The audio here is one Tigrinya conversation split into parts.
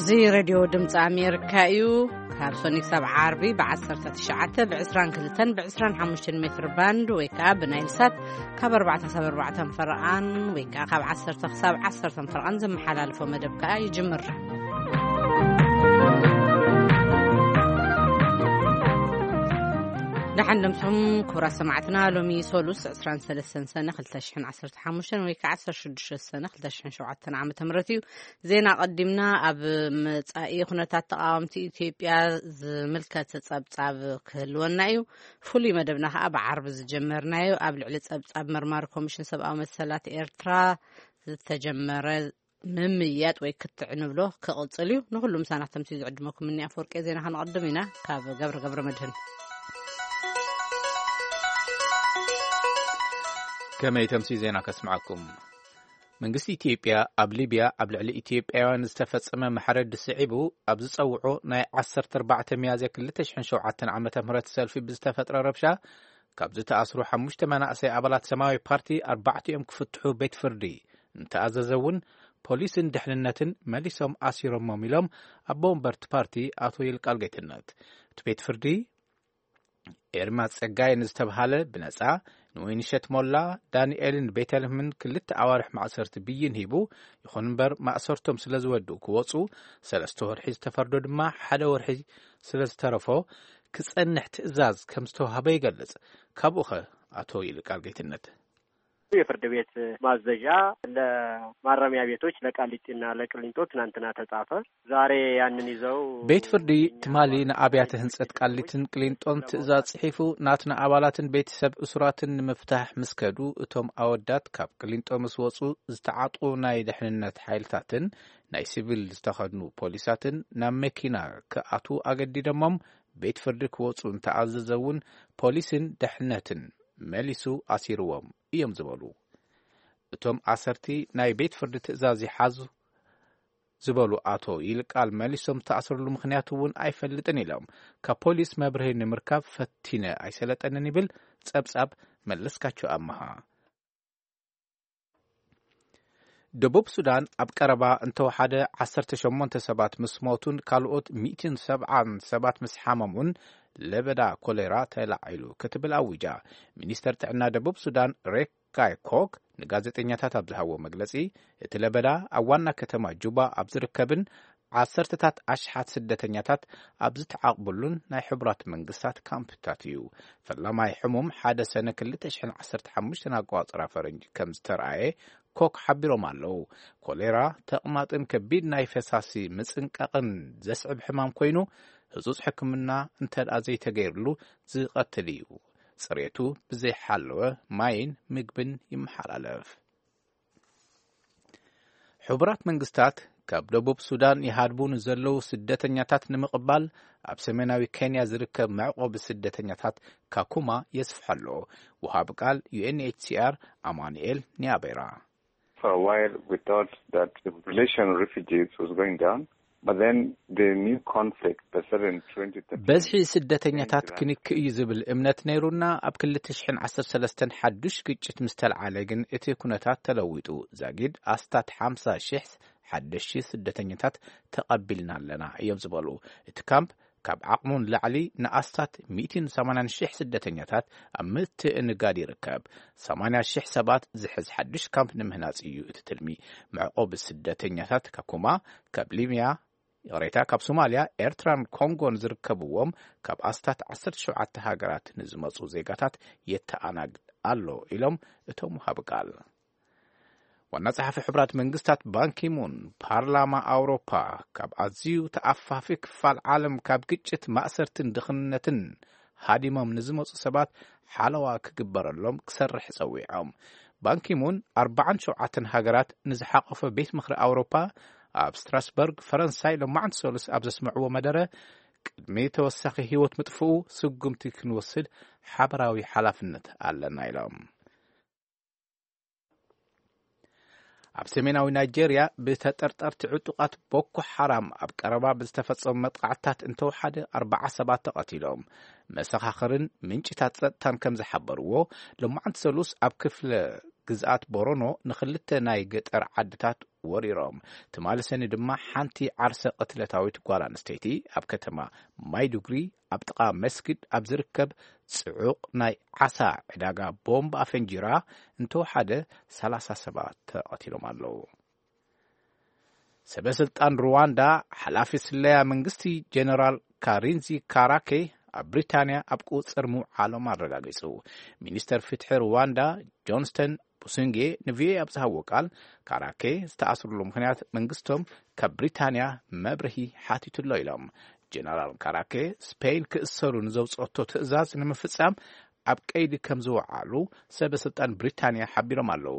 እዚ ሬድዮ ድምፂ ኣሜሪካ እዩ። ካብ ሶኒ ክሳብ ዓርቢ ብ19 ብ22 ብ25 ሜትር ባንድ ወይ ከዓ ብናይል ሳት ካብ ኣርባዕተ ክሳብ ኣርባዕተ ፈረቓን ወይ ከዓ ካብ ዓሰርተ ክሳብ ዓሰርተ ፈረቓን ዝመሓላልፎ መደብ ከዓ ይጅምር። ደሓን ደምስኹም ክቡራት ሰማዕትና። ሎሚ ሶሉስ 23 ሰነ 2015 ወይ ከዓ 16 ሰነ 2007 ዓመተ ምህረት እዩ። ዜና ቀዲምና። ኣብ መጻኢ ኩነታት ተቓወምቲ ኢትዮጵያ ዝምልከት ጸብጻብ ክህልወና እዩ። ፍሉይ መደብና ከዓ ብዓርቢ ዝጀመርናዮ ኣብ ልዕሊ ጸብጻብ መርማሪ ኮሚሽን ሰብኣዊ መሰላት ኤርትራ ዝተጀመረ ምምያጥ ወይ ክትዕ ንብሎ ክቕጽል እዩ። ንኹሉ ምሳና ተምሲ ዝዕድመኩም እኒ ኣፈወርቂ ዜና ክንቐድም ኢና። ካብ ገብረ ገብረ መድህን። ከመይ ተምሲ ዜና ከስምዓኩም። መንግስቲ ኢትዮጵያ ኣብ ሊብያ ኣብ ልዕሊ ኢትዮጵያውያን ዝተፈጸመ ማሕረድ ስዒቡ ኣብ ዝጸውዖ ናይ 14 ሚያዝያ 2007 ዓመተ ምህረት ሰልፊ ብዝተፈጥረ ረብሻ ካብ ዝተኣስሩ ሓሙሽተ መናእሰይ ኣባላት ሰማያዊ ፓርቲ ኣርባዕቲኦም ክፍትሑ ቤት ፍርዲ እንተኣዘዘ እውን ፖሊስን ድሕንነትን መሊሶም ኣሲሮሞም ኢሎም ኣቦ ወንበርቲ ፓርቲ ኣቶ ይልቃል ጌትነት። እቲ ቤት ፍርዲ ኤርማስ ጸጋይ ንዝተብሃለ ብነጻ፣ ንወይንሸት ሞላ፣ ዳንኤልን ቤተልሔምን ክልተ ኣዋርሕ ማእሰርቲ ብይን ሂቡ። ይኹን እምበር ማእሰርቶም ስለ ዝወድኡ ክወጹ ሰለስተ ወርሒ ዝተፈርዶ ድማ ሓደ ወርሒ ስለ ዝተረፎ ክጸንሕ ትእዛዝ ከም ዝተዋህበ ይገልጽ። ካብኡኸ ኣቶ ይልቃል ጌትነት። የፍርድ ቤት ማዘዣ ለማረሚያ ቤቶች ለቃሊቲና ለቅሊንጦ ትናንትና ተጻፈ። ዛሬ ያንን ይዘው ቤት ፍርዲ ትማሊ ንኣብያተ ህንጸት ቃሊትን ቅሊንጦን ትእዛዝ ጽሒፉ ናትና ኣባላትን ቤተሰብ እሱራትን ንምፍታሕ ምስ ከዱ እቶም ኣወዳት ካብ ቅሊንጦ ምስ ወጹ ዝተዓጥቁ ናይ ድሕንነት ሓይልታትን ናይ ሲቪል ዝተኸድኑ ፖሊሳትን ናብ መኪና ክኣትዉ ኣገዲዶሞም። ቤት ፍርዲ ክወጹ እንተኣዘዘ እውን ፖሊስን ድሕነትን መሊሱ ኣሲርዎም እዮም ዝበሉ። እቶም ኣሰርቲ ናይ ቤት ፍርዲ ትእዛዝ ይሓዙ ዝበሉ ኣቶ ይልቃል መሊሶም ዝተኣስርሉ ምኽንያት እውን ኣይፈልጥን ኢሎም። ካብ ፖሊስ መብርሂ ንምርካብ ፈቲነ ኣይሰለጠንን ይብል ጸብጻብ መለስካቸው ኣመሃ። ደቡብ ሱዳን ኣብ ቀረባ እንተወሓደ ዓሰርተ ሸሞንተ ሰባት ምስ ሞቱን ካልኦት ሚእትን ሰብዓን ሰባት ምስ ሓመሙን ለበዳ ኮሌራ ተላዒሉ ክትብል ኣዊጃ። ሚኒስተር ጥዕና ደቡብ ሱዳን ሬክ ጋይ ኮክ ንጋዜጠኛታት ኣብ ዝሃቦ መግለጺ፣ እቲ ለበዳ ኣብ ዋና ከተማ ጁባ ኣብ ዝርከብን ዓሰርተታት ኣሽሓት ስደተኛታት ኣብ ዝተዓቕብሉን ናይ ሕቡራት መንግስታት ካምፕታት እዩ። ፈላማይ ሕሙም ሓደ ሰነ ክልተ ሽሕን ዓሰርተ ሓሙሽተን ኣቆጻጽራ ፈረንጂ ከም ዝተረኣየ ኮክ ሓቢሮም ኣለዉ። ኮሌራ፣ ተቕማጥን ከቢድ ናይ ፈሳሲ ምጽንቃቕን ዘስዕብ ሕማም ኮይኑ፣ ህጹጽ ሕክምና እንተ ደኣ ዘይተገይርሉ ዝቐትል እዩ። ጽሬቱ ብዘይሓለወ ማይን ምግብን ይመሓላለፍ። ሕቡራት መንግስታት ካብ ደቡብ ሱዳን ይሃድቡ ንዘለዉ ስደተኛታት ንምቕባል ኣብ ሰሜናዊ ኬንያ ዝርከብ መዕቆቢ ስደተኛታት ካኩማ የስፍሖ ኣሎ። ወሃቢ ቃል ዩ ኤን ኤች ሲ ኣር ኣማኑኤል ኒያቤራ። For a while, we thought that the population of refugees was going down, but then the new conflict, the sudden twenty, በዝሒ ስደተኛታት ክንክእ እዩ ዝብል እምነት ነይሩና። ኣብ ክልተ ሽሕን ዓሰርተ ሰለስተን ሓዱሽ ግጭት ምስ ተለዓለ ግን እቲ ኩነታት ተለዊጡ። ዛጊድ ኣስታት ሓምሳ ሽሕ ሓደሽቲ ስደተኛታት ተቐቢልና ኣለና እዮም ዝበሉ። እቲ ካምፕ ካብ ዓቕሙ ንላዕሊ ንኣስታት ሚእትን ሰማንያን ሽሕ ስደተኛታት ኣብ ምትእንጋድ ይርከብ። ሰማንያ ሽሕ ሰባት ዝሕዝ ሓድሽ ካምፕ ንምህናጽ እዩ እቲ ትልሚ። መዕቆቢ ስደተኛታት ካኩማ ካብ ሊብያ፣ ይቕሬታ፣ ካብ ሶማልያ፣ ኤርትራን ኮንጎን ዝርከብዎም ካብ ኣስታት ዓሰርተ ሸውዓተ ሃገራት ንዝመጹ ዜጋታት የተኣናግድ ኣሎ ኢሎም እቶም ወሃቢ ቃል። ዋና ጸሓፊ ሕቡራት መንግስታት ባንኪሙን ፓርላማ ኣውሮፓ ካብ ኣዝዩ ተኣፋፊ ክፋል ዓለም ካብ ግጭት፣ ማእሰርትን ድኽነትን ሃዲሞም ንዝመጹ ሰባት ሓለዋ ክግበረሎም ክሰርሕ ጸዊዖም። ባንኪሙን ኣርባዓን ሸውዓተን ሃገራት ንዝሓቆፈ ቤት ምኽሪ ኣውሮፓ ኣብ ስትራስበርግ ፈረንሳይ ሎማዕንቲ ሰሉስ ኣብ ዘስምዕዎ መደረ፣ ቅድሚ ተወሳኺ ህይወት ምጥፍኡ ስጉምቲ ክንወስድ ሓበራዊ ሓላፍነት ኣለና ኢሎም። ኣብ ሰሜናዊ ናይጄርያ ብተጠርጠርቲ ዕጡቓት ቦኮ ሓራም ኣብ ቀረባ ብዝተፈጸሙ መጥቃዕትታት እንተወሓደ ኣርባዓ ሰባት ተቐቲሎም። መሰኻኽርን ምንጭታት ጸጥታን ከም ዝሓበርዎ፣ ሎማዕንቲ ሰሉስ ኣብ ክፍለ ግዝኣት ቦሮኖ ንኽልተ ናይ ገጠር ዓድታት ወሪሮም። ትማሊ ሰኒ ድማ ሓንቲ ዓርሰ ቅትለታዊት ጓል ኣንስተይቲ ኣብ ከተማ ማይዱግሪ ኣብ ጥቓ መስጊድ ኣብ ዝርከብ ጽዑቕ ናይ ዓሳ ዕዳጋ ቦምብ ኣፈንጂራ እንተወሓደ ሰላሳ ሰባት ተቐቲሎም ኣለዉ። ሰበ ስልጣን ሩዋንዳ ሓላፊ ስለያ መንግስቲ ጀነራል ካሪንዚ ካራኬ ኣብ ብሪታንያ ኣብ ቁጽጽር ምውዓሎም ኣረጋጊጹ። ሚኒስተር ፍትሒ ሩዋንዳ ጆንስተን ቡሱንጌ ንቪኦኤ ኣብ ዝሃብዎ ቃል፣ ካራኬ ዝተኣስርሉ ምኽንያት መንግስቶም ካብ ብሪታንያ መብርሂ ሓቲቱሎ ኢሎም። ጀነራል ካራኬ ስፔን ክእሰሩ ንዘውፅኦቶ ትእዛዝ ንምፍጻም ኣብ ቀይዲ ከም ዝወዓሉ ሰበ ስልጣን ብሪታንያ ሓቢሮም ኣለዉ።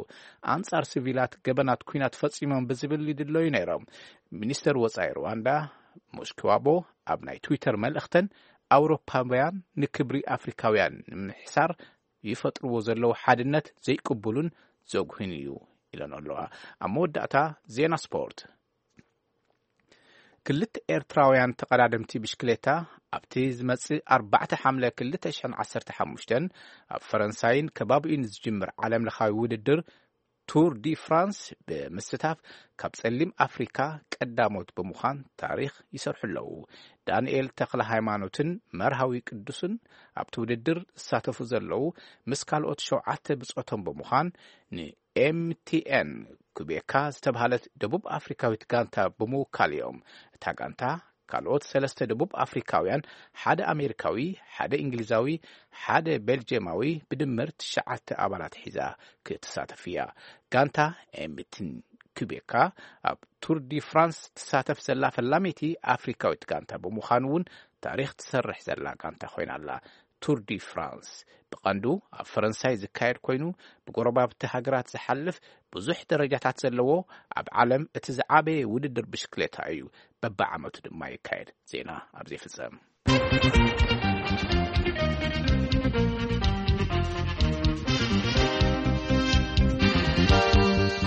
ኣንጻር ሲቪላት ገበናት ኲናት ፈጺሞም ብዝብል ይድለዩ ነይሮም። ሚኒስተር ወጻኢ ሩዋንዳ ሞስኪዋቦ ኣብ ናይ ትዊተር መልእኽተን፣ ኣውሮፓውያን ንክብሪ ኣፍሪካውያን ንምሕሳር ይፈጥርዎ ዘለዉ ሓድነት ዘይቅቡሉን ዘጉህን እዩ ኢለን ኣለዋ። ኣብ መወዳእታ ዜና ስፖርት። ክልተ ኤርትራውያን ተቐዳደምቲ ብሽክሌታ ኣብቲ ዝመጽእ ኣርባዕተ ሓምለ ክልተ ሽሕን ዓሰርተ ሓሙሽተን ኣብ ፈረንሳይን ከባቢኡን ዝጅምር ዓለምለኻዊ ውድድር ቱር ዲ ፍራንስ ብምስታፍ ካብ ጸሊም ኣፍሪካ ቀዳሞት ብምዃን ታሪኽ ይሰርሑ ኣለዉ። ዳንኤል ተኽለ ሃይማኖትን መርሃዊ ቅዱስን ኣብቲ ውድድር ዝሳተፉ ዘለዉ ምስ ካልኦት ሸውዓተ ብጾቶም ብምዃን ንኤምቲኤን ኩቤካ ዝተብሃለት ደቡብ ኣፍሪካዊት ጋንታ ብምውካል እዮም። እታ ጋንታ ካልኦት ሰለስተ ደቡብ ኣፍሪካውያን፣ ሓደ ኣሜሪካዊ፣ ሓደ እንግሊዛዊ፣ ሓደ ቤልጅየማዊ ብድምር ትሽዓተ ኣባላት ሒዛ ክትሳተፍ እያ። ጋንታ ኤምቲን ኩቤካ ኣብ ቱር ዲ ፍራንስ ትሳተፍ ዘላ ፈላመይቲ ኣፍሪካዊት ጋንታ ብምዃን እውን ታሪኽ ትሰርሕ ዘላ ጋንታ ኮይና ኣላ። ቱር ዲ ፍራንስ ብቐንዱ ኣብ ፈረንሳይ ዝካየድ ኮይኑ፣ ብጎረባብቲ ሃገራት ዝሓልፍ ብዙሕ ደረጃታት ዘለዎ፣ ኣብ ዓለም እቲ ዝዓበየ ውድድር ብሽክሌታ እዩ። በብዓመቱ ድማ ይካየድ። ዜና ኣብ ዘይፍጸም።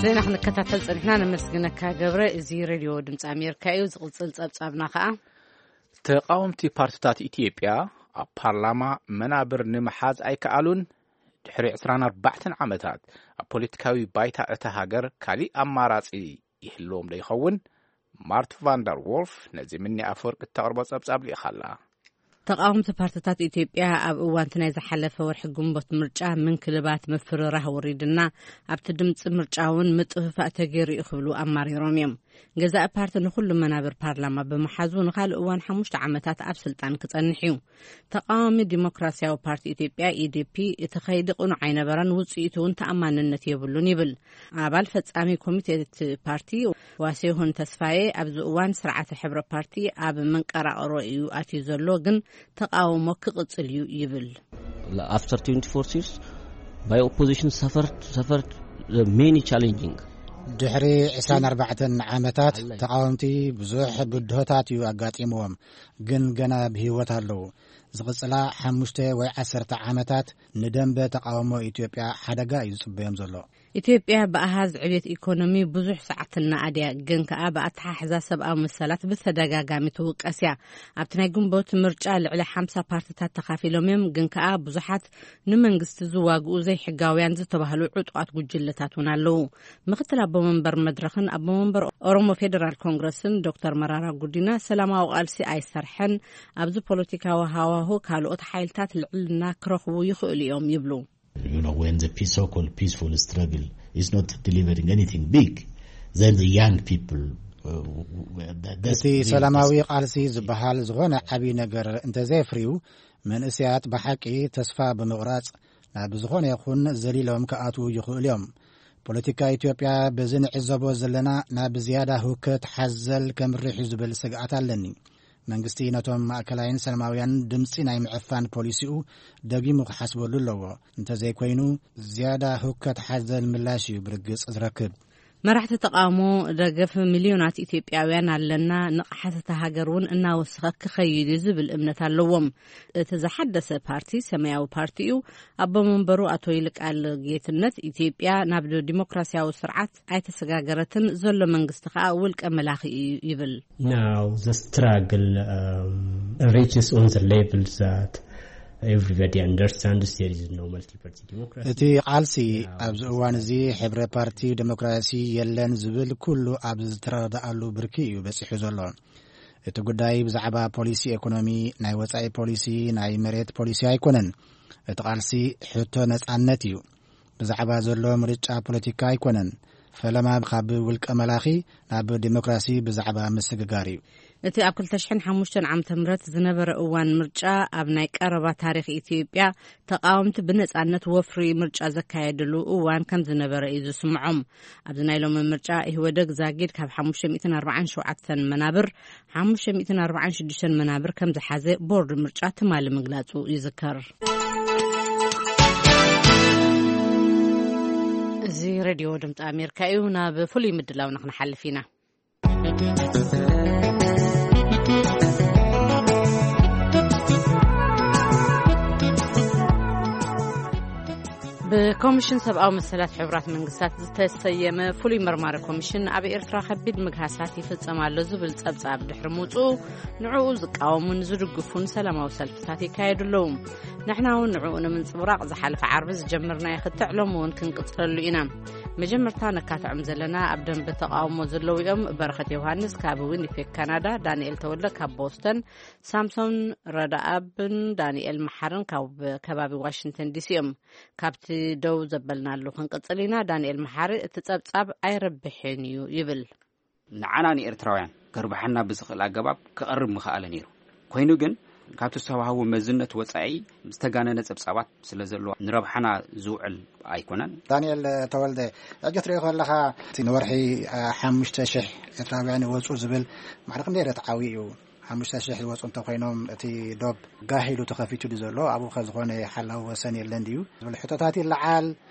ዜና ክንከታተል ጸኒሕና፣ ነመስግነካ ገብረ። እዚ ሬድዮ ድምፂ ኣሜሪካ እዩ። ዝቕጽል ጸብጻብና ከኣ፣ ተቓወምቲ ፓርቲታት ኢትዮጵያ ኣብ ፓርላማ መናብር ንምሓዝ ኣይከኣሉን። ድሕሪ ዕስራን ኣርባዕተን ዓመታት ኣብ ፖለቲካዊ ባይታ እታ ሃገር ካሊእ ኣማራጺ ይህልዎም ዶ ይኸውን? ማርት ቫንደር ዎልፍ ነዚ ምኒ ኣፈወርቂ እተቕርቦ ጸብጻብ ልኢኻ ኣላ። ተቓወምቲ ፓርቲታት ኢትዮጵያ ኣብ እዋንቲ ናይ ዝሓለፈ ወርሒ ግንቦት ምርጫ ምንክልባት፣ ምፍርራህ ውሪድና፣ ኣብቲ ድምፂ ምርጫ እውን ምጥፍፋእ ተገይሩ እዩ ክብሉ ኣማሪሮም እዮም። ገዛኢ ፓርቲ ንኹሉ መናብር ፓርላማ ብምሓዙ ንኻልእ እዋን ሓሙሽተ ዓመታት ኣብ ስልጣን ክጸንሕ እዩ። ተቓዋሚ ዲሞክራሲያዊ ፓርቲ ኢትዮጵያ፣ ኢዲፒ፣ እቲ ኸይዲ ቅኑዕ ኣይነበረን፣ ውጽኢቱ እውን ተኣማንነት የብሉን ይብል። ኣባል ፈጻሚ ኮሚቴ እቲ ፓርቲ ዋሴሁን ተስፋዬ ኣብዚ እዋን ስርዓተ ሕብረ ፓርቲ ኣብ መንቀራቕሮ እዩ ኣትዩ ዘሎ፣ ግን ተቓውሞ ክቕጽል እዩ ይብል። After twenty-four years, my opposition suffered, suffered uh, many challenging. ድሕሪ ዕስራን ኣርባዕተን ዓመታት ተቓወምቲ ብዙሕ ብድሆታት እዩ ኣጋጢምዎም፣ ግን ገና ብህይወት ኣለዉ። ዝቕጽላ ሓሙሽተ ወይ ዓሰርተ ዓመታት ንደንበ ተቓውሞ ኢትዮጵያ ሓደጋ እዩ ዝጽበዮም ዘሎ። ኢትዮጵያ ብኣሃዝ ዕብየት ኢኮኖሚ ብዙሕ ሰዓትና ኣድያ፣ ግን ከኣ ብኣተሓሕዛ ሰብኣዊ መሰላት ብተደጋጋሚ ትውቀስ እያ። ኣብቲ ናይ ግንቦት ምርጫ ልዕሊ ሓምሳ ፓርቲታት ተኻፊሎም እዮም፣ ግን ከኣ ብዙሓት ንመንግስቲ ዝዋግኡ ዘይሕጋውያን ዝተባህሉ ዕጡቓት ጉጅለታት እውን ኣለዉ። ምክትል ኣቦ መንበር መድረኽን ኣቦ መንበር ኦሮሞ ፌደራል ኮንግረስን ዶክተር መራራ ጉዲና ሰላማዊ ቃልሲ ኣይሰርሐን፣ ኣብዚ ፖለቲካዊ ሃዋሁ ካልኦት ሓይልታት ልዕልና ክረኽቡ ይኽእሉ እዮም ይብሉ። You know, when the peace, so-called peaceful struggle is not delivering anything big, then the young people, uh, w- w- that- that's እቲ really ሰላማዊ peaceful. ቃልሲ ዝበሃል ዝኾነ ዓብዪ ነገር እንተዘየፍርዩ፣ መንእሰያት ብሓቂ ተስፋ ብምቑራጽ ናብ ዝኾነ ይኹን ዘሊሎም ክኣትዉ ይኽእሉ እዮም። ፖለቲካ ኢትዮጵያ በዚ ንዕዘቦ ዘለና ናብ ዝያዳ ህውከት ሓዘል ከምርሕ እዩ ዝብል ስግኣት ኣለኒ። መንግስቲ ነቶም ማእከላይን ሰላማውያን ድምጺ ናይ ምዕፋን ፖሊሲኡ ደጊሙ ክሓስበሉ ኣለዎ። እንተዘይኮይኑ፣ ዝያዳ ህውከት ሓዘል ምላሽ እዩ ብርግጽ ዝረክብ። መራሕቲ ተቓውሞ፣ ደገፍ ሚልዮናት ኢትዮጵያውያን ኣለና፣ ንቕሓት እታ ሃገር እውን እናወሰኸ ክኸይድ እዩ ዝብል እምነት ኣለዎም። እቲ ዝሓደሰ ፓርቲ ሰማያዊ ፓርቲ እዩ። ኣቦ መንበሩ ኣቶ ይልቃል ጌትነት፣ ኢትዮጵያ ናብ ዲሞክራሲያዊ ስርዓት ኣይተሰጋገረትን፣ ዘሎ መንግስቲ ከኣ ውልቀ መላኺ እዩ ይብል። Now the struggle um, reaches on the level that Everybody understands there is no multi-party democracy. እቲ ቃልሲ ኣብዚ እዋን እዚ ሕብረ ፓርቲ ዴሞክራሲ የለን ዝብል ኩሉ ኣብ ዝተረዳኣሉ ብርኪ እዩ በጺሑ ዘሎ። እቲ ጉዳይ ብዛዕባ ፖሊሲ ኢኮኖሚ፣ ናይ ወጻኢ ፖሊሲ፣ ናይ መሬት ፖሊሲ ኣይኮነን። እቲ ቃልሲ ሕቶ ነጻነት እዩ። ብዛዕባ ዘሎ ምርጫ ፖለቲካ ኣይኮነን። ፈለማ ካብ ውልቀ መላኺ ናብ ዴሞክራሲ ብዛዕባ ምስግጋር እዩ። እቲ ኣብ ክልተ ሽሕን ሓሙሽተን ዓመተ ምህረት ዝነበረ እዋን ምርጫ ኣብ ናይ ቀረባ ታሪኽ ኢትዮጵያ ተቃወምቲ ብነጻነት ወፍሪ ምርጫ ዘካየድሉ እዋን ከም ዝነበረ እዩ ዝስምዖም። ኣብዚ ናይ ሎሚ ምርጫ ኢህወደግ ዛጊድ ካብ ሓሙሽተ ሚእትን ኣርባዓን ሸውዓተን መናብር ሓሙሽተ ሚእትን ኣርባዓን ሽዱሽተን መናብር ከም ዝሓዘ ቦርድ ምርጫ ትማሊ ምግላጹ ይዝከር። እዚ ሬድዮ ድምፂ ኣሜሪካ እዩ። ናብ ፍሉይ ምድላው ንክንሓልፍ ኢና። ብኮሚሽን ሰብኣዊ መሰላት ሕቡራት መንግስታት ዝተሰየመ ፍሉይ መርማሪ ኮሚሽን ኣብ ኤርትራ ከቢድ ምግሃሳት ይፍጸም ኣሎ ዝብል ጸብጻብ ድሕሪ ምውጽኡ፣ ንዕኡ ዝቃወሙን ዝድግፉን ሰላማዊ ሰልፍታት ይካየዱ ኣለዉ። ንሕና እውን ንዕኡ ንምንጽብራቕ ዝሓለፈ ዓርቢ ዝጀመርናዮ ክትዕ ሎሚ እውን ክንቅጽለሉ ኢና። መጀመርታ ነካትዖም ዘለና ኣብ ደንበ ተቃውሞ ዘለዉ እዮም። በረኸት ዮሃንስ ካብ ዊኒፔግ ካናዳ፣ ዳንኤል ተወልደ ካብ ቦስተን፣ ሳምሶን ረዳኣብን ዳንኤል መሓርን ካብ ከባቢ ዋሽንግተን ዲሲ እዮም። ካብቲ ደው ዘበልናሉ ክንቅጽል ኢና። ዳንኤል መሓሪ፣ እቲ ጸብጻብ ኣይረብሕን እዩ ይብል። ንዓና ንኤርትራውያን ከርብሓና ብዝኽእል ኣገባብ ክቐርብ ምኽኣለ ነይሩ። ኮይኑ ግን ካብቲ ዝተዋህቦ መዝነት ወጻኢ ዝተጋነነ ጸብጻባት ስለ ዘሎ ንረብሓና ዝውዕል ኣይኮነን። ዳንኤል ተወልደ፣ ሕጂ ትሪኦ ከለኻ እቲ ንወርሒ፣ አ፣ ሓሙሽተ ሽሕ ኤርትራውያን ይወጹ ዝብል ማዕረ ክንደይ ርትዓዊ እዩ? ሓሙሽተ ሽሕ ይወጹ እንተኾይኖም እቲ ዶብ ጋህ ኢሉ ተኸፊቱ ድዩ ዘሎ? ኣብኡ ከ ዝኾነ ሓላዊ ወሰን የለን ድዩ? ዝብል ሕቶታት ይለዓል።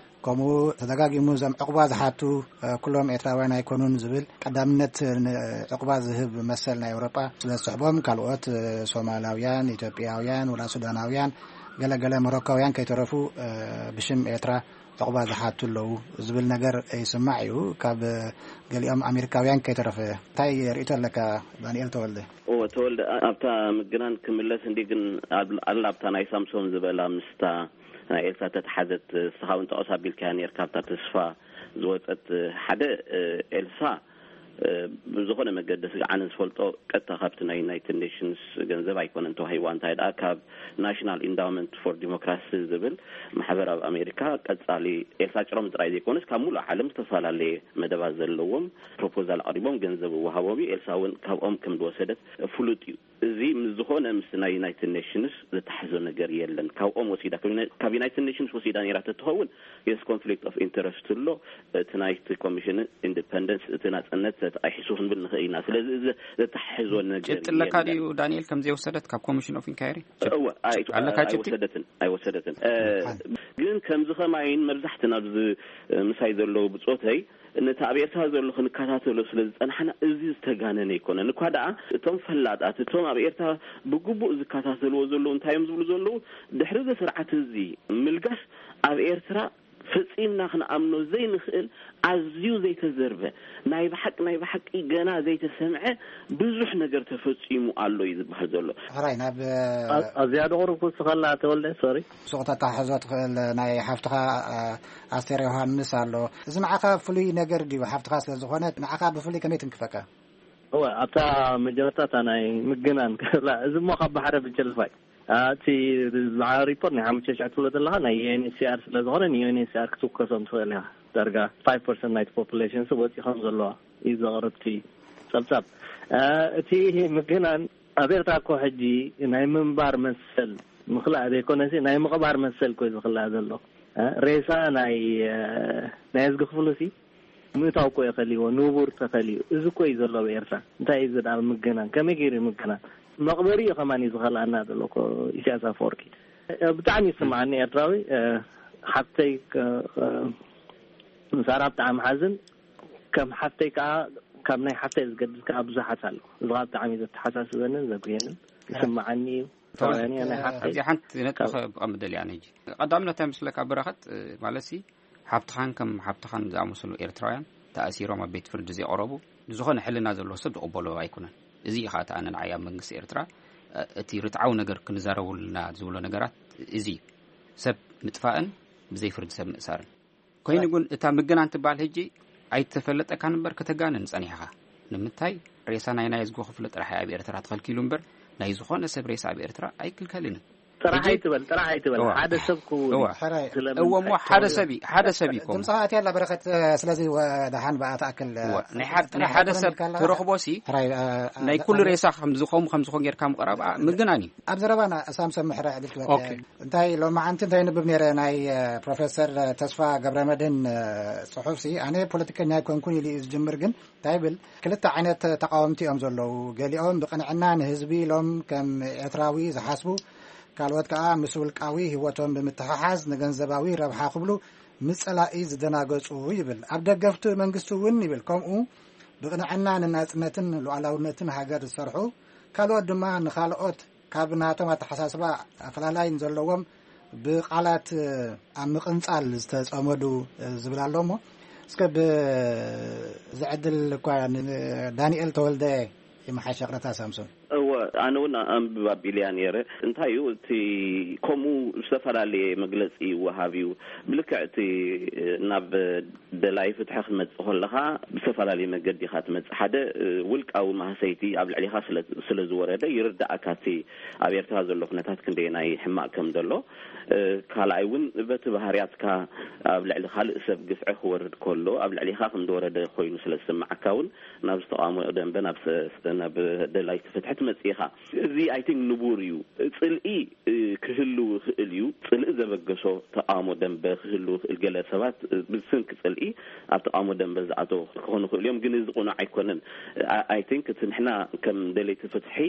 ከምኡ ተደጋጊሙ እዞም ዕቑባ ዝሓቱ፣ እ፣ ኩሎም ኤርትራውያን ኣይኮኑን ዝብል ቀዳምነት ንዕቑባ ዝህብ መሰል ናይ ኤውሮጳ ስለ ዝስሕቦም ካልኦት፣ እ፣ ሶማላውያን፣ ኢትዮጵያውያን፣ ወላ ሱዳናውያን፣ ገለገለ ሞሮካውያን ከይተረፉ፣ እ፣ ብሽም ኤርትራ ዕቑባ ዝሓቱ ኣለዉ ዝብል ነገር ይስማዕ እዩ። ካብ ገሊኦም ኣሜሪካውያን ከይተረፈ። እንታይ ርእይቶ ኣለካ ዳንኤል ተወልደ? እወ፣ ተወልደ፣ ኣ-፣ ኣብታ ምግናን ክምለስ እንዲ ግን ኣብ-፣ ኣላ ኣብታ ናይ ሳምሶን ዝበላ ምስታ ናይ ኤልሳ ተተሓዘት፣ እስኻ እውን ጠቐስ ኣቢልካያ ነርካ፣ ኣብታ ተስፋ ዝወጸት ሓደ፣ እ፣ ኤልሳ፣ እ፣ ብዝኾነ መገዲ ስግዓነ ዝፈልጦ ቀጥታ ካብቲ ናይ ዩናይትድ ኔሽንስ ገንዘብ ኣይኮነን ተዋሂብዋ፣ እንታይ ደኣ ካብ ናሽናል ኢንዳውመንት ፎር ዲሞክራሲ ዝብል ማሕበር ኣብ ኣሜሪካ ቀጻሊ ኤልሳ ጭሮም ጥራይ ዘይኮነስ ካብ ሙሉእ ዓለም ዝተፈላለየ መደባት ዘለዎም ፕሮፖዛል ኣቕሪቦም ገንዘብ እወሃቦም እዩ። ኤልሳ እውን ካብኦም ከም ዝወሰደት ፍሉጥ እዩ። እዚ ምስ ዝኾነ ምስ ናይ ዩናይትድ ኔሽንስ ዝተሓዞ ነገር የለን። ካብኦም ወሲዳ፣ ካብ ዩናይ-፣ ካብ ዩናይትድ ኔሽንስ ወሲዳ ነይራ ተትኸውን፣ የስ ኮንፍሊክት ኦፍ ኢንተረስት ኣሎ፣ እቲ ናይቲ ኮሚሽን ኢንዲፐንደንስ፣ እቲ ናጽነት ተጣይሒሱ ክንብል ንኽእል ኢና። ስለዚ እዚ ዘተሓሕዞ ነገር ጭብጢ ኣለካ የለን። ድዩ ዳንኤል፣ ከም ዘይወሰደት ካብ ኮሚሽን ኦፍ ኢንኳይሪ? እወ፣ ኣይ-፣ ኣለካ ጭብጢ? ኣይወሰደትን፣ ኣይወሰደትን። እ፣ ሓን። ግን ከምዚ ከማይን መብዛሕትን ኣብዚ፣ እ፣ ምሳይ ዘለዉ ብጾተይ፣ ነቲ ኣብ ኤርትራ ዘሎ ክንከታተሎ ስለ ዝጸናሕና፣ እዚ ዝተጋነነ ኣይኮነን። እኳ ደኣ እቶም ፈላጣት፣ እቶም ኣብ ኤርትራ ብግቡእ ዝከታተልዎ ዘለዉ እንታይ እዮም ዝብሉ ዘለዉ? ድሕሪ እዚ ስርዓት እዚ ምልጋስ ኣብ ኤርትራ ፈጺምና ክንኣምኖ ዘይንኽእል ኣዝዩ ዘይተዘርበ፣ ናይ ብሓቂ፣ ናይ ብሓቂ ገና ዘይተሰምዐ ብዙሕ ነገር ተፈጺሙ ኣሎ እዩ ዝበሃል ዘሎ። ሕራይ ናብ ኣ-፣ ኣብዚኣ ዶ ቁሩብ ክውስኸላ ተወልደ? ሶሪ። ሱቕ ተተሓሕዞ ትኽእል ናይ ሓፍትኻ፣ ኣ-፣ ኣስቴር ዮሃንስ ኣሎ። እዚ ንዓኻ ፍሉይ ነገር ድዩ? ሓፍትኻ ስለ ዝኾነት ንዓኻ ብፍሉይ ከመይ ትንክፈካ? እወ፣ ኣብታ መጀመርታ እታ ናይ ምግናን ክብላ፣ እዚ እሞ ካብ ባሕሪ ብጭልፋይ። ኣ፣ እቲ ዝለዓለ ሪፖርት ናይ ሓሙሽተ ሽሕ ትብሎ ዘለኻ ናይ ዩ ኤን ኤች ሲ ኣር ስለ ዝኾነ፣ ን ዩ ኤን ኤች ሲ ኣር ክትውከሶም ትኽእል ኢኻ። ዳርጋ ፋይቭ ፐርሰንት ናይቲ ፖፑሌሽን ሰብ ወፂኡ ከም ዘለዋ እዩ ዘቕርብ እቲ ጸብጻብ። ኣ፣ እቲ ምግናን ኣብ ኤርትራ እኮ ሕጂ ናይ ምንባር መሰል ምኽላእ ዘይኮነሲ ናይ ምቕባር መሰል እኮ እዩ ዝኽላእ ዘሎ። እ፣ ሬሳ ናይ፣ እ፣ ናይ ህዝቢ ክፍሉሲ ምእታው እኮ እዩ ከልይዎ፣ ንቡር ተኸልዩ። እዚ እኮ እዩ ዘሎ ኣብ ኤርትራ። እንታይ እዩ እዚ ደኣ ምግናን? ከመይ ገይሩ እዩ ምግናን? መቕበሪ እዩ ከማን እዩ ዝኸልኣና ዘሎ እኮ ኢሳያስ ኣፈወርቂ። እ፣ ብጣዕሚ ይስምዓኒ ኤርትራዊ፣ እ፣ ሓፍተይ፣ እ፣ እ፣ ምሳራ ብጣዕሚ ሓዝን። ከም ሓፍተይ ከኣ፣ ካብ ናይ ሓፍተይ ዝገድስ ከኣ ብዙሓት ኣለዉ። እዚ ከኣ ብጣዕሚ እዩ ዘተሓሳስበንን ዘጉህየንን ይስምዓኒ እዩ። ተወልደ፣ ተወልደ፣ ናይ ሓፍተይ ኣብዚ ሓንቲ ነጥቢ ካብ ከ-፣ ከቐምጥ ደልያ ነጂ። ቀዳምነት እንታይ ምስለካ በረኸት፣ እ፣ ማለትሲ ሓብትኻን ከም ሓብትኻን ዝኣመሰሉ ኤርትራውያን ተኣሲሮም ኣብ ቤት ፍርዲ ዘይቐረቡ ንዝኾነ ሕልና ዘለዎ ሰብ ዝቕበሎ ኣይኮነን። እዚ እዩ ኸኣ እቲ ኣነ ንዓይ ኣብ መንግስቲ ኤርትራ፣ እ፣ እቲ ርትዓዊ ነገር ክንዛረበሉ ኢና ዝብሎ ነገራት እዚ ሰብ ምጥፋእን ብዘይ ፍርዲ ሰብ ምእሳርን ኮይኑ ግን እታ ምግናን ትበሃል ሕጂ ኣይተፈለጠካን እምበር ከተጋንን ጸኒሕኻ። ንምንታይ ሬሳ ናይ ናይ ዝጎ ክፍለ ጥራሕ ኣብ ኤርትራ ተኸልኪሉ እምበር ናይ ዝኾነ ሰብ ሬሳ ኣብ ኤርትራ ኣይክልከልን። ጥራሕ ሕጂ ኣይትበል፣ ጥራሕ ኣይትበል። እዋ። ሓደ ሰብ ክውን እዋ። እዩ። ሕራይ። ስለምን እዎ እሞ ሓደ ኣይትበል? ሰብ እዩ፣ ሓደ ሰብ እዩ ከምኡ። ድምፅኻ ኣትያ ኣላ በረኸት፣ ስለዚ ወ-፣ ደሓን ብኣ ትኣክል፣ እዎ። ናይ ሓደ፣ ጥራሕ ናይ ሓደ ኣይትበል ሰብ ኢልካ ኣለኻ። ትረኽቦ ሲ ሕራይ፣ ኣ-፣ ኣ-፣ ናይ ኩሉ ሬሳ ከም ዝኾም፣ ከም ዝኾን ጌርካ ምቕራብ፣ ኣ፣ ምግናን እዩ። ኣብ ዘረባና ሳምሶም ምሕራይ ዕድል ክበካ ኦኬ። እየ። እንታይ ሎማዓንቲ እንታይ ንብብ ነይረ ናይ፣ እ፣ ፕሮፌሰር ተስፋ ገብረመድህን፣ እ፣ ጽሑፍሲ ኣነ ፖለቲከኛ ኣይኮንኩን ኢሉ እዩ ዝጅምር። ግን እንታይ ይብል? ክልተ ዓይነት ተቃወምቲ እዮም ዘለዉ። ገሊኦም ብቅንዕና ንህዝቢ ኢሎም ከም ኤርትራዊ ዝሓስቡ፣ ካልኦት ከኣ ምስ ውልቃዊ ህይወቶም ብምትሕሓዝ ንገንዘባዊ ረብሓ ክብሉ ምጸላኢ ዝደናገጹ ይብል። ኣብ ደገፍቲ መንግስቲ እውን ይብል ከምኡ ብቅንዕና ንናጽነትን ሉዓላውነትን ሃገር ዝሰርሑ፣ ካልኦት ድማ ንኻልኦት ካብ ናቶም ኣተሓሳስባ ኣፈላላይ ዘለዎም ብቃላት ኣብ ምቕንጻል ዝተጸመዱ ዝብል ኣሎ እሞ፣ እስከ ብዚ ዕድል እኳ ንዳንኤል ተወልደ ይመሓሽ። ይቕረታ ሳምሶን። እወ፣ ኣነ እውን ኣንብብ ኣቢለያ ነይረ። እንታይ እዩ እቲ ከምኡ ዝተፈላለየ መግለጺ ይወሃብ እዩ። ብልክዕ እቲ ናብ ደላይ ፍትሒ ክትመጽእ ከለኻ ብዝተፈላለየ መገዲ ኢኻ ትመጽእ። ሓደ፣ እ፣ ውልቃዊ ማህሰይቲ ኣብ ልዕሊኻ ስለ፣ ስለ ዝወረደ ይርዳእካ እቲ ኣብ ኤርትራ ዘሎ ኩነታት ክንደየናይ ሕማቕ ከም ዘሎ። እ፣ ካልኣይ እውን በቲ ባህርያትካ ኣብ ልዕሊ ካልእ ሰብ ግፍዒ ክወርድ ከሎ ኣብ ልዕሊኻ ከም ዝወረደ ኮይኑ ስለ ዝስምዓካ እውን ናብ ዝተቓውሞ ደንበ ናብ ሰ-፣ ናብ ደላይ ፍትሒ ትመጽእ ኢኻ። እዚ ኣይ ቲንክ ንቡር እዩ። ጽልኢ እ፣ ክህሉ ይኽእል እዩ። ጽልኢ ዘበገሶ ተቃውሞ ደንበ ክህሉ ይኽእል። ገለ ሰባት፣ እ፣ ብስንኪ ጽልኢ ኣብ ተቃውሞ ደንበ ዝኣተው ክኾኑ ይኽእሉ እዮም። ግን እዚ ቅኑዕ ኣይኮነን። ኣ-፣ ኣይ ቲንክ እቲ ንሕና ከም ደለይቲ ፍትሒ፣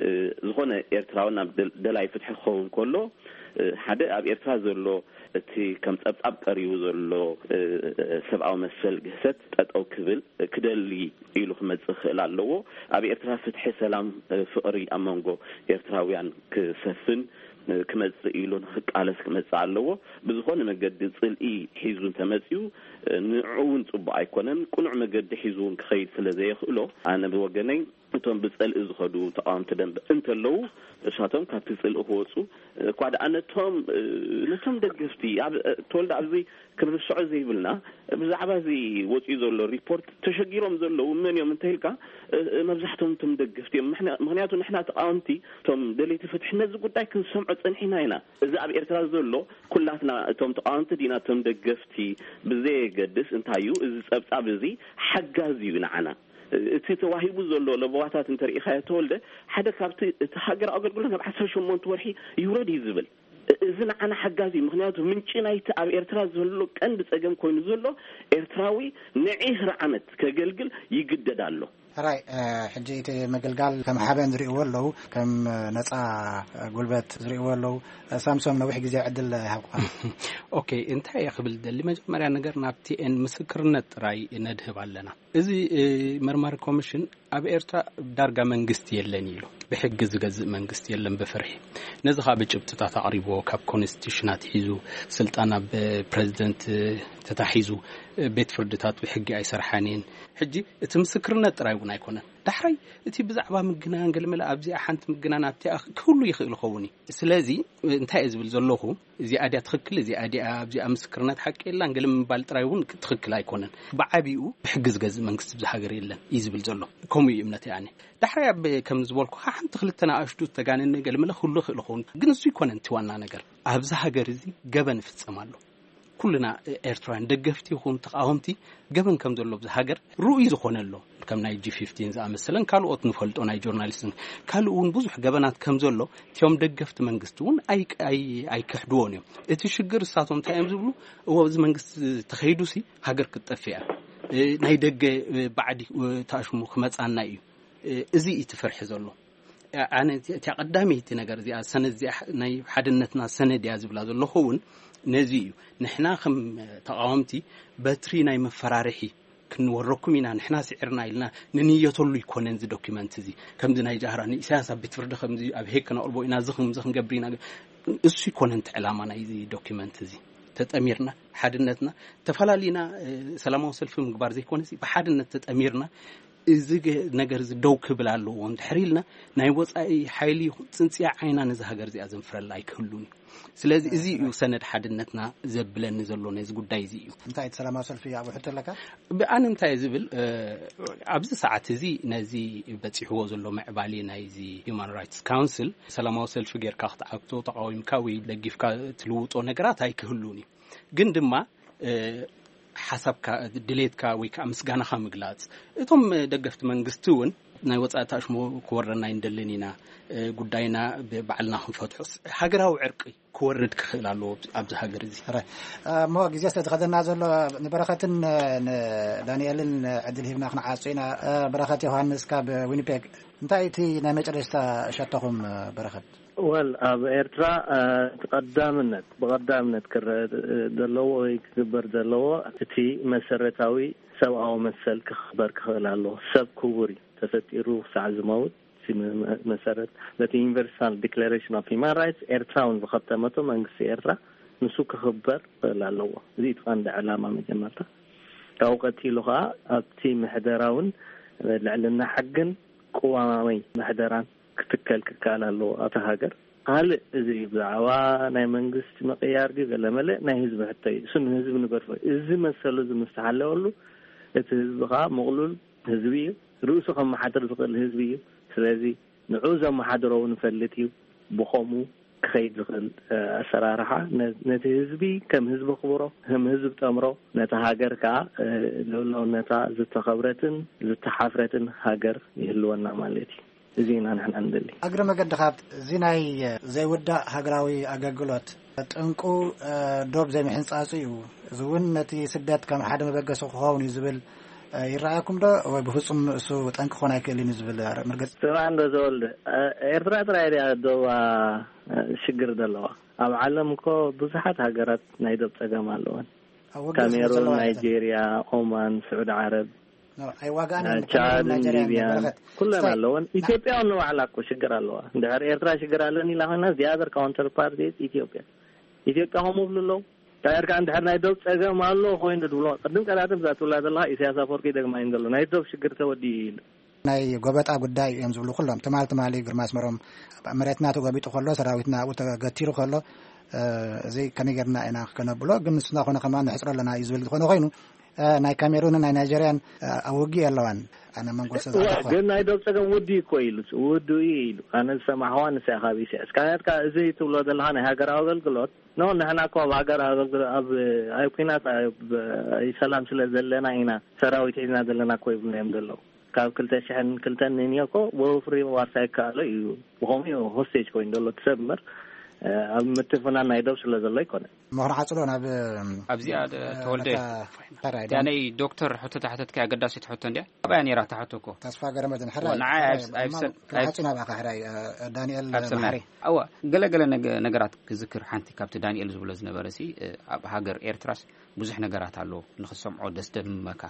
እ፣ ዝኾነ ኤርትራዊ ናብ ደል-፣ ደላይ ፍትሒ ክኸውን ከሎ፣ እ፣ ሓደ ኣብ ኤርትራ ዘሎ እቲ ከም ጸብጻብ ቀሪቡ ዘሎ፣ እ፣ ሰብኣዊ መሰል ግህሰት ጠጠው ክብል ክደሊ ኢሉ ክመጽእ ክኽእል ኣለዎ። ኣብ ኤርትራ ፍትሒ፣ ሰላም፣ እ፣ ፍቕሪ ኣብ መንጎ ኤርትራውያን ክሰፍን፣ እ፣ ክመጽእ ኢሉ ንኽቃለስ ክመጽእ ኣለዎ። ብዝኾነ መገዲ ጽልኢ ሒዙ እንተመጺኡ፣ እ፣ ንዕኡ እውን ጽቡቕ ኣይኮነን። ቅኑዕ መገዲ ሒዙ እውን ክኸይድ ስለ ዘየኽእሎ፣ ኣነ ብወገነይ እቶም ብጸልኢ ዝኸዱ ተቃወምቲ ደንበ እንተለዉ፣ እሳቶም ካብቲ ጽልኢ ክወጹ፣ እኳ ደኣ ነቶም፣ እ፣ ነቶም ደገፍቲ፣ ኣብ፣ እ፣ ተወልደ ኣብዚ ክንርስዖ ዘይብልና፣ ብዛዕባ እዚ ወጺኡ ዘሎ ሪፖርት ተሸጊሮም ዘለዉ መን እዮም እንተኢልካ፣ እ፣ እ፣ መብዛሕትኦም እቶም ደገፍቲ እዮም። ምሕና-፣ ምኽንያቱ ንሕና ተቃወምቲ፣ እቶም ደለይቲ ፍትሒ ነዚ ጉዳይ ክንሰምዖ ጸኒሕና ኢና። እዚ ኣብ ኤርትራ ዘሎ ኩላትና እቶም ተቃወምቲ ዲና እቶም ደገፍቲ ብዘየገድስ እንታይ እዩ፣ እዚ ጸብጻብ እዚ ሓጋዚ እዩ ንዓና። እቲ ተዋሂቡ ዘሎ ለበዋታት እንተሪኢኻዮ ተወልደ፣ ሓደ ካብቲ እቲ ሃገር ኣገልግሎት ናብ ዓሰርተ ሸሞንተ ወርሒ ይውረድ እዩ ዝብል። እ-፣ እዚ ንዓና ሓጋዚ እዩ። ምኽንያቱ ምንጪ ናይቲ ኣብ ኤርትራ ዘሎ ቀንዲ ጸገም ኮይኑ ዘሎ ኤርትራዊ ንዒስራ ዓመት ከገልግል ይግደድ ኣሎ። ሕራይ፣ እ፣ ሕጂ እቲ ምግልጋል ከም ሓበን ዝርእይዎ ኣለዉ፣ ከም ነጻ ጉልበት ዝርእይዎ ኣለዉ። ሳምሶም ነዊሕ ግዜ ዕድል ይሃብኩኻ። ኦኬ፣ እንታይ እየ ክብል ደሊ? መጀመርያ ነገር ናብቲ ኤን ምስክርነት ጥራይ ነድህብ ኣለና። እዚ፣ እ፣ መርማሪ ኮሚሽን ኣብ ኤርትራ ዳርጋ መንግስቲ የለን ኢሉ፣ ብሕጊ ዝገዝእ መንግስቲ የለን ብፍርሒ። ነዚ ኸኣ ብጭብጥታት ኣቕሪብዎ፣ ካብ ኮንስቲቱሽን ኣትሒዙ፣ ስልጣን ኣብ ፕረዚደንት ተታሒዙ፣ ቤት ፍርድታት ብሕጊ ኣይሰርሓን እየን። ሕጂ እቲ ምስክርነት ጥራይ እውን ኣይኮነን። ዳሕራይ እቲ ብዛዕባ ምግናን ገለመለ ኣብዚኣ ሓንቲ ምግናን ኣብቲኣ ክህሉ ይኽእል ይኸውን እዩ። ስለዚ እንታይ እየ ዝብል ዘለኹ? እዚኣ ድያ ትኽክል፣ እዚኣ ድያ፣ ኣብዚኣ ምስክርነት ሓቂ የላን፣ ገለ ምባል ጥራይ እውን ትኽክል ኣይኮነን። ብዓቢኡ ብሕጊ ዝገዝእ መንግስቲ ኣብዚ ሃገር የለን እዩ ዝብል ዘሎ። ከምኡ እዩ እምነተይ ኣነ። ዳሕራይ ኣብ፣ ከም ዝበልኩኻ፣ ሓንቲ ክልተ ንኣሽቱ ዝተጋነነ ገለመለ ክህሉ ይኽእል ይኸውን፣ ግን እሱ ኣይኮነን እቲ ዋና ነገር። ኣብዚ ሃገር እዚ ገበን ይፍጸም ኣሎ። ኩልና ኤርትራውያን ደገፍቲ ይኹን ተቃወምቲ ገበን ከም ዘሎ ኣብዚ ሃገር ርኡይ ዝኾነ ኣሎ። ከም ናይ ጂ ፊፍቲን ዝኣመሰለን ካልኦት ንፈልጦ ናይ ጆርናሊስትን ካልእ እውን ብዙሕ ገበናት ከም ዘሎ እቲኦም ደገፍቲ መንግስቲ እውን ኣይ-፣ ኣይ-፣ ኣይክሕድዎን እዮም። እቲ ሽግር እሳቶም እንታይ እዮም ዝብሉ? እዎ፣ እዚ መንግስቲ ተኸይዱሲ ሃገር ክትጠፍእ እያ፣ እ፣ ናይ ደገ፣ እ፣ ባዕዲ፣ እ፣ ተኣሽሙ ክመጻና እዩ። እ፣ እዚ እዩ እቲ ፍርሒ ዘሎ። ኣነ እቲ፣ እቲኣ ቀዳመይቲ ነገር እዚኣ፣ ሰነድ እዚኣ፣ ናይ ሓድነትና ሰነድ እያ ዝብላ ዘለኹ እውን ነዚ እዩ። ንሕና ከም ተቃወምቲ በትሪ ናይ መፈራርሒ ክንወረኩም ኢና፣ ንሕና ስዒርና ኢልና ንንየተሉ ይኮነን እዚ ዶኪመንት እዚ። ከምዚ ናይ ጃህራ ንኢሳያስ ኣብ ቤት ፍርዲ ከምዚ ኣብ ሄግ ከነቕርቦ ኢና፣ እዚ ከም፣ እዚ ክንገብር ኢና። እሱ ይኮነን እቲ ዕላማ ናይዚ ዶኪመንት እዚ። ተጠሚርና፣ ሓድነትና፣ ተፈላሊና፣ እ፣ ሰላማዊ ሰልፊ ምግባር ዘይኮነሲ ብሓድነት ተጠሚርና እዚ ገ- ነገር እዚ ደው ክብል ኣለዎ እንድሕር ኢልና፣ ናይ ወፃኢ ሓይሊ ይኹን ፅንፅያ ዓይና ነዚ ሃገር እዚኣ ዘንፍረላ ኣይክህሉን እዩ። ስለዚ እዚ እዩ ሰነድ ሓድነትና ዘብለኒ ዘሎ ነዚ ጉዳይ እዚ እዩ። እንታይ እቲ ሰላማዊ ሰልፊ ኣብኡ ሕቶ ኣለካ? ብኣነ እንታይ ዝብል እ፣ ኣብዚ ሰዓት እዚ ነዚ በፂሕዎ ዘሎ ምዕባሊ ናይዚ Human Rights Council ሰላማዊ ሰልፊ ጌርካ ክትኣክቶ ተቃዊምካ ወይ ደጊፍካ ትልውጦ ነገራት ኣይክህሉን እዩ። ግን ድማ እ፣ ሓሳብካ፣ ድሌትካ ወይ ከዓ ምስጋናኻ ምግላፅ፣ እቶም ደገፍቲ መንግስቲ እውን ናይ ወፃኢ ኣሽሞ ክወረና ኣይንደልን ኢና፣ እ፣ ጉዳይና ብባዕልና ክንፈትሖስ፣ ሃገራዊ ዕርቂ ክወርድ ክኽእል ኣለዎ ኣብዚ ሃገር እዚ። ሕራይ። እሞ ግዜ ስለ ዝኸደና ዘሎ፣ ንበረኸትን ንዳንኤልን ዕድል ሂብና ክንዓጹ ኢና። በረኸት ዮሃንስ ካብ ዊኒፔግ፣ እንታይ እቲ ናይ መጨረሽታ ሸቶኹም? በረኸት። ወል ኣብ ኤርትራ እቲ ቀዳምነት ብቀዳምነት ክረአ ዘለዎ ወይ ክግበር ዘለዎ እቲ መሰረታዊ ሰብኣዊ መሰል ክኽበር ክኽእል ኣለዎ። ሰብ ክቡር እዩ፣ ተፈጢሩ ክሳዕ ዝመውት። መሰረት በቲ Universal Declaration of Human Rights ኤርትራ እውን ዝኸተመቶ መንግስቲ ኤርትራ ንሱ ክኽበር ክኽእል ኣለዎ። እዚ እቲ ቀንዲ ዕላማ መጀመርታ። ካብኡ ቀፂሉ ከዓ ኣብቲ ምሕደራውን ልዕልና ሕግን ቅዋማዊ ምሕደራን ክትከል ክከኣል ኣለዎ ኣብቲ ሃገር። ካልእ እዚ ብዛዕባ ናይ መንግስቲ ምቅያር ድዩ ገለ መለ ናይ ህዝቢ ሕቶ እዩ። እሱ ንህዝቢ ንገድፎ። እዚ መሰሉ እዚ ምስ ተሓለወሉ እቲ ህዝቢ ከዓ ምቕሉል ህዝቢ እዩ። ርእሱ ከመሓድር ዝኽእል ህዝቢ እዩ። ስለዚ ንዑ ዘመሓድሮ እውን ይፈልጥ እዩ። ብኸምኡ ክኸይድ ዝኽእል ኣሰራርሓ ነቲ ህዝቢ ከም ህዝቢ ክብሮ፣ ከም ህዝቢ ጠምሮ፣ ነታ ሃገር ከዓ ልእላውነታ ዝተኸብረትን ዝተሓፍረትን ሃገር ይህልወና ማለት እዩ። እዚ ኢና ንሕና ንደሊ። እግረ መገድኻ፣ እዚ ናይ ዘይውዳእ ሃገራዊ ኣገልግሎት ጥንቁ ዶብ ዘይምሕንጻጹ እዩ። እዚ እውን ነቲ ስደት ከም ሓደ መበገሲ ክኸውን እዩ ዝብል ይረኣየኩም ዶ? ወይ ብፍጹም እሱ ጠንቂ ክኾን ኣይክእልን እዩ ዝብል ርግጽ? ስማዕ እንዶ ዘወልደ፣ ኤርትራ ጥራይ ድያ ዶባ ሽግር ዘለዋ? ኣብ ዓለም እኮ ብዙሓት ሃገራት ናይ ዶብ ጸገም ኣለወን። ካሜሩን፣ ናይጄርያ፣ ኦማን፣ ስዑድ ዓረብ፣ ኣይዋጋእን ቻድን ሊብያን ኩለን ኣለወን። ኢትዮጵያ እውን ንባዕላ እኮ ሽግር ኣለዋ። እንድሕር ኤርትራ ሽግር ኣለኒ ኢላ ኮይና፣ the other counterpart is ኢትዮጵያ። ኢትዮጵያ ከምኡ ይብሉ ኣለዉ። ካብ ኤርትራ እንድሕር ናይ ዶብ ጸገም ኣሎ ኮይኑ ድብሎ፣ ቅድም ቀዳድም እዛ ትብላ ዘለኻ ኢሳያስ ኣፈወርቂ ይደግማ እዩ ዘሎ። ናይ ዶብ ሽግር ተወዲኡ እዩ ኢሉ። ናይ ጎበጣ ጉዳይ እዮም ዝብሉ ኩሎም። ትማል ትማሊ ግርማ ኣስመሮም፣ መሬትና ተጎቢጡ ከሎ፣ ሰራዊትና ኣብኡ ተገቲሩ ከሎ፣ እዚ ከመይ ጌርና ኢና ከነብሎ? ግን ንሱ እናኾነ ከማን ንሕጽሮ ኣለና እዩ ዝብል ዝኾነ ኮይኑ፣ ናይ ካሜሩንን ናይ ናይጀርያን ኣብ ውግእ ኣለዋን። ኣነ መንጎ ሰዛ ግን ናይ ዶብ ጸገም ውድኡ እኮ ኢሉ፣ ውድኡ እዩ ኢሉ። ኣነ ዝሰማዕዋ ንሳ ካብ ኢሳያስ። ካያትካ እዚ ትብሎ ዘለኻ ናይ ሃገራዊ ኣገልግሎት፣ ኖ፣ ንሕና እኮ ኣብ ሃገር ኣገልግሎ-፣ ኣብ፣ ኣብ ኩናት፣ ኣብ፣ ኣብ ሰላም ስለ ዘለና ኢና ሰራዊት ሒዝና ዘለና እኮ ይብሉ እዮም ዘለዉ። ካብ ክልተ ሽሕን ክልተን ንንዮ እኮ ብወፍሪ ዋርሳይ ይከኣሎ እዩ። ብኸምኡ እዩ ሆስቴጅ ኮይኑ ዘሎ እቲ ሰብ እምበር፣ ኣብ ምትፍናን ናይ ዶብ ስለ ዘሎ ኣይኮነን። ምኽሪ ዓጽሎ ናብ ኣብዚኣ ተወልደ፣ እታ ሕራይ እቲኣ ናይ ዶክተር ሕቶ ተሓተትካ ኣገዳሲት ሕቶ እንድያ። ኣብያ ነይራ እታ ሕቶ እኮ። ተስፋ ገረመድን ሕራይ፣ ንዓይ ሕራይ፣ ኣይብሰ-፣ እማ-፣ ኣይብሰ-፣ ክንዓጹ ናብኣኻ ሕራይ፣ እ፣ ዳንኤል ኣብ ሰማይ። መሓሪ። እዋ፣ ገለ ገለ ነገ-፣ ነገራት ክዝክር፣ ሓንቲ ካብቲ ዳንኤል ዝብሎ ዝነበረ ሲ፣ እ፣ ኣብ ሃገር ኤርትራስ ብዙሕ ነገራት ኣሎ ንኽትሰምዖ ደስ ደምመካ።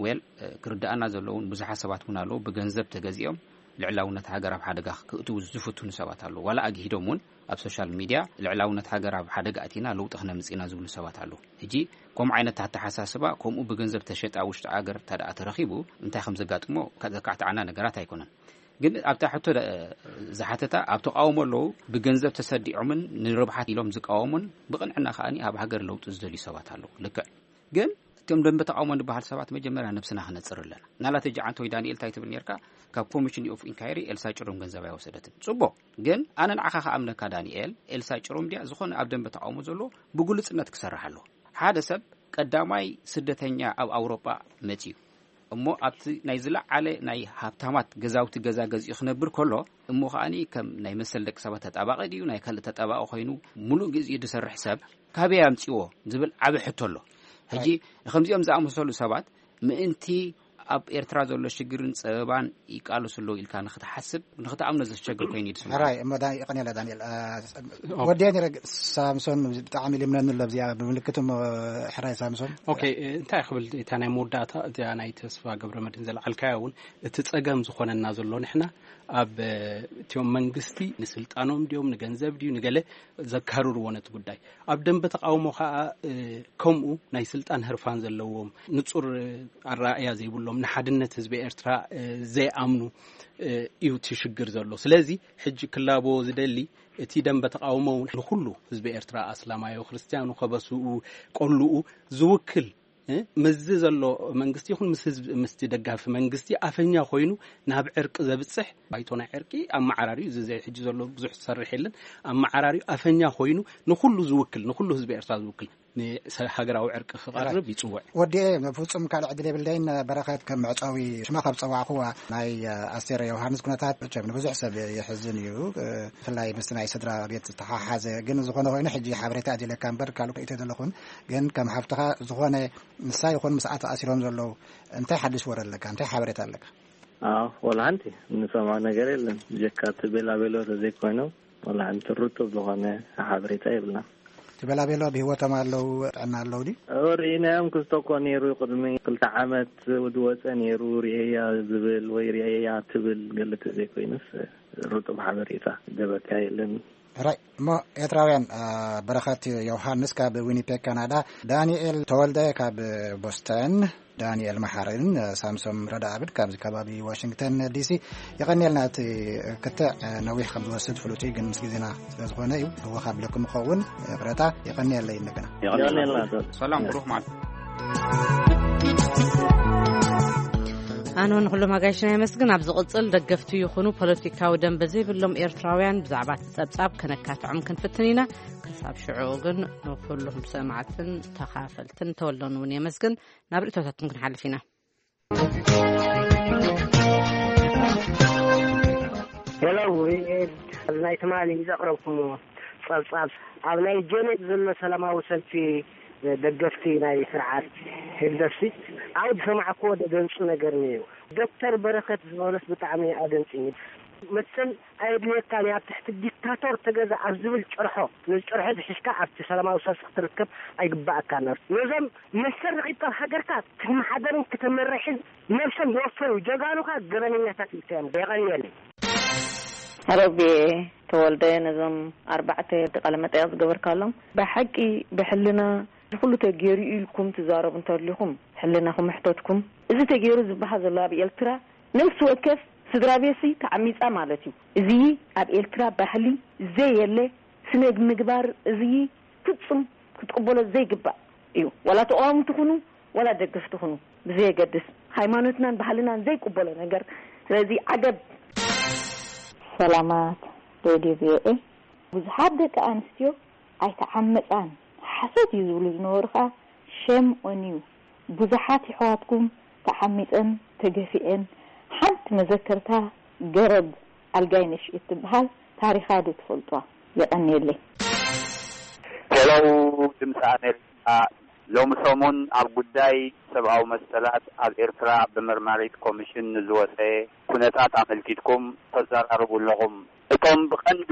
ዌል፣ እ፣ ክርድኣና ዘሎ እውን ብዙሓት ሰባት እውን ኣለዉ ብገንዘብ ተገዚኦም ልዕላውነት ሃገር ኣብ ሓደጋ ክእትዉ ዝፍትኑ ሰባት ኣለዉ። ዋላ ኣግሂዶም እውን ኣብ ሶሻል ሚድያ ልዕላውነት ሃገር ኣብ ሓደጋ ኣቲና ለውጢ ክነምጽእ ኢና ዝብሉ ሰባት ኣለዉ። ሕጂ ከምኡ ዓይነት ኣተሓሳስባ፣ ከምኡ ብገንዘብ ተሸጠ ኣብ ውሽጢ ሃገር እንተ ደኣ ተረኺቡ እንታይ ከም ዘጋጥሞ ከዘካዕትዓና ነገራት ኣይኮነን። ግን ኣብታ ሕቶ ደ-፣ ዝሓተታ ኣብ ተቃውሞ ኣለዉ፣ ብገንዘብ ተሰዲዖምን ንርብሓት ኢሎም ዝቃወሙን ብቕንዕና ከኣ ኣብ ሃገር ለውጢ ዝደልዩ ሰባት ኣለዉ። ልክዕ። ግን እቶም ደንበ ተቃውሞ ንበሃል ሰባት መጀመርያ ነብስና ክነጽር ኣለና። ናላት ሕጂ ዓንተ ወይ ዳንኤል እንታይ ትብል ነርካ? ካብ ኮሚሽን ኦፍ ኢንኳይሪ ኤልሳ ጭሩም ገንዘብ ኣይወሰደትን። ጽቡቕ። ግን ኣነ ንዓኻ ክኣምነካ ዳንኤል፣ ኤልሳ ጭሩም ድያ ዝኾነ ኣብ ደንበ ተቃውሞ ዘሎ ብግሉጽነት ክሰርሕ ኣለዎ። ሓደ ሰብ ቀዳማይ ስደተኛ ኣብ ኣውሮጳ መጽዩ እሞ ኣብቲ ናይ ዝለዓለ ናይ ሃብታማት ገዛውቲ ገዛ ገዚኡ ክነብር ከሎ እሞ ከኣኒ ከም ናይ መሰል ደቂ ሰባት ተጣባቂ ድዩ ናይ ካልእ ተጣባቂ ኮይኑ ሙሉእ ግዜኡ ዝሰርሕ ሰብ ካበይ ኣምጺዎ ዝብል ዓቢ ሕቶ ኣሎ። ሕጂ ከምዚኦም ዝኣመሰሉ ሰባት ምእንቲ ኣብ ኤርትራ ዘሎ ሽግርን ጸበባን ይቃለሱ ኣለዉ ኢልካ ንኽትሓስብ፣ ንኽትኣምኖ ዘስቸግር ኮይኑ እዩ ዝስምዓኒ። ሕራይ፣ እሞ ዳ-፣ ይቐንየለ ዳንኤል። እ፣ ኦኬ። ወዲአ ነይረ ሳምሶን ብጣዕሚ ልምነኒ ኣሎ ኣብዚኣ ብምልክት እሞ ሕራይ ሳምሶን። ኦኬ፣ እንታይ ክብል እታ ናይ መወዳእታ እዚኣ ናይ ተስፋ ገብረመድህን ዘልዓልካያ እውን እቲ ጸገም ዝኾነና ዘሎ ንሕና ኣብ እቲኦም መንግስቲ ንስልጣኖም ድዮም ንገንዘብ ድዩ ንገለ ዘካርርዎ ነቲ ጉዳይ። ኣብ ደንበ ተቃውሞ ከዓ ከምኡ ናይ ስልጣን ህርፋን ዘለዎም ንጹር ኣረኣእያ ዘይብሎም ንሓድነት ህዝቢ ኤርትራ ዘይኣምኑ እዩ እቲ ሽግር ዘሎ። ስለዚ ሕጂ ክላቦ ዝደሊ እቲ ደንበ ተቃውሞ እውን ንኩሉ ህዝቢ ኤርትራ ኣስላማዮ ክርስቲያኑ ከበስኡ ቆልኡ ዝውክል ምስዚ ዘሎ መንግስቲ ይኹን ምስ ህዝቢ ምስቲ ደጋፊ መንግስቲ ኣፈኛ ኮይኑ ናብ ዕርቂ ዘብፅሕ ባይቶ ናይ ዕርቂ ኣመዓራሪዩ እዚ ዘይ ሕጂ ዘሎ ብዙሕ ዝሰርሕ የለን። ኣመዓራሪዩ ኣፈኛ ኮይኑ ንኩሉ ዝውክል ንኩሉ ህዝቢ ኤርትራ ዝውክል ንሃገራዊ ዕርቂ ክቐርብ ይፅውዕ። ወዲኤ ፍጹም ካልእ ዕድል የብለይን። በረኸት ከም መዕጸዊ ሽማ ካብ ጸዋዕኹዋ ናይ ኣስቴር ዮሃንስ ኩነታት መቸም ንብዙሕ ሰብ የሕዝን እዩ። ብፍላይ ምስ ናይ ስድራ ቤት ዝተሓሓዘ ግን ዝኾነ ኮይኑ ሕጂ ሓበሬታ ኣድለካ እምበር ካልእ ርእቶ ዘለኹን ግን ከም ሓፍትኻ ዝኾነ ንሳ ይኹን ምስኣ ተኣሲሮም ዘለዉ እንታይ ሓድሽ ወረ ኣለካ እንታይ ሓበሬታ ኣለካ? ኣዎ ወላ ሓንቲ እንሰምዖ ነገር የለን ብጀካ እቲ ቤላ ቤሎ ተዘይኮይኑ ወላ ሓንቲ ርጡብ ዝኾነ ሓበሬታ የብልና። ትበላ ቤሎ ብህይወቶም ኣለዉ ጥዕና ኣለዉ ድዩ? ርኢናዮም ክስቶ እኮ ነይሩ ቅድሚ ክልተ ዓመት ዝወፀ ነይሩ ርኤያ ዝብል ወይ ርኤያ ትብል ገለ ተዘይኮይኑስ ርጡብ ሓበሬታ ገበካ የለን። ሕራይ እሞ ኤርትራውያን በረኸት ዮሃንስ ካብ ዊኒፔግ ካናዳ፣ ዳንኤል ተወልደ ካብ ቦስተን፣ ዳንኤል መሓርን ሳምሶም ረዳኣብን ካብዚ ከባቢ ዋሽንግተን ዲሲ የቐንየልና። እቲ ክትዕ ነዊሕ ከም ዝወስድ ፍሉጥ እዩ፣ ግን ምስ ግዜና ስለ ዝኾነ እዩ እወ ካብለኩም ክኸውን ይቕረታ። የቐንየለይ እንደገና። ሰላም ብሩኽ ማለት ኣነ ንኩሎም ኣጋይሽና የመስግን። ኣብ ዝቕጽል ደገፍቲ ይኹኑ ፖለቲካዊ ደንበ ዘይብሎም ኤርትራውያን ብዛዕባ እቲ ጸብጻብ ከነካትዖም ክንፍትን ኢና። ክሳብ ሽዑ ግን ንኩሉም ሰማዕትን ተኻፈልትን ተወሎን እውን የመስግን። ናብ ርእቶታትኩም ክንሓልፍ ኢና። ሄሎ፣ ናይ ትማሊ ዘቕረብኩሞ ጸብጻብ ኣብ ናይ ጀኔቭ ዘሎ ሰላማዊ ሰልፊ ደገፍቲ ናይ ስርዓት ህግደፍሲ ኣብኡ ዝሰማዕክዎ ደገንጹ ነገር ነይሩ። ዶክተር በረኸት ዝበሎስ ብጣዕሚ ኣደንጺኒ። መሰል ኣየድልየካን ኣብ ትሕቲ ዲክታቶር ተገዛ ኣብ ዝብል ጭርሖ ነዚ ጭርሖ ዝሕሽካ ኣብቲ ሰላማዊ ሰልፊ ክትርከብ ኣይግባኣካን ነሩ። ነዞም መሰል ረኺብካ ኣብ ሃገርካ ክትመሓደርን ክተመርሕን ነብሶም ዝወፈዩ ጀጋኑኻ ገበነኛታት ኢልካዮም። የቐንየለይ። ሮቤ ተወልደ ነዞም ኣርባዕተ ቃለ መጠይቕ ዝገበርካሎም ብሓቂ ብሕልና እዚ ኩሉ ተገይሩ ኢልኩም ትዛረቡ እንተሊኹም ሕልናኹም ሕተትኩም። እዚ ተገይሩ ዝበሃል ዘሎ ኣብ ኤርትራ ነፍሲ ወከፍ ስድራ ቤትሲ ተዓሚጻ ማለት እዩ። እዚ ኣብ ኤርትራ ባህሊ ዘየለ ስነ ምግባር እዚ ፍጹም ክትቅበሎ ዘይግባእ እዩ። ዋላ ተቃወምቲ ኩኑ ዋላ ደገፍቲ ኩኑ ብዘየገድስ ሃይማኖትናን ባህልናን ዘይቅበሎ ነገር ስለዚ ዓገብ። ሰላማት ሬድዮ ቪኦኤ ብዙሓት ደቂ ኣንስትዮ ኣይተዓመጻን ሓሶት እዩ ዝብሉ ዝነበሩ ከኣ ሸም ኦን ዩ። ብዙሓት የሕዋትኩም ተዓሚጸን ተገፊዐን ሓንቲ መዘከርታ ገረብ ኣልጋይነሽ እትበሃል ታሪኻ ዶ ትፈልጥዋ? የቐንየለይ። ሄሎ ድምፂ ኣሜሪካ ሎሚ ሰሙን ኣብ ጉዳይ ሰብኣዊ መሰላት ኣብ ኤርትራ ብመርማሪት ኮሚሽን ንዝወፀ ኩነታት ኣመልኪትኩም ተዘራርቡ ኣለኹም። እቶም ብቐንዱ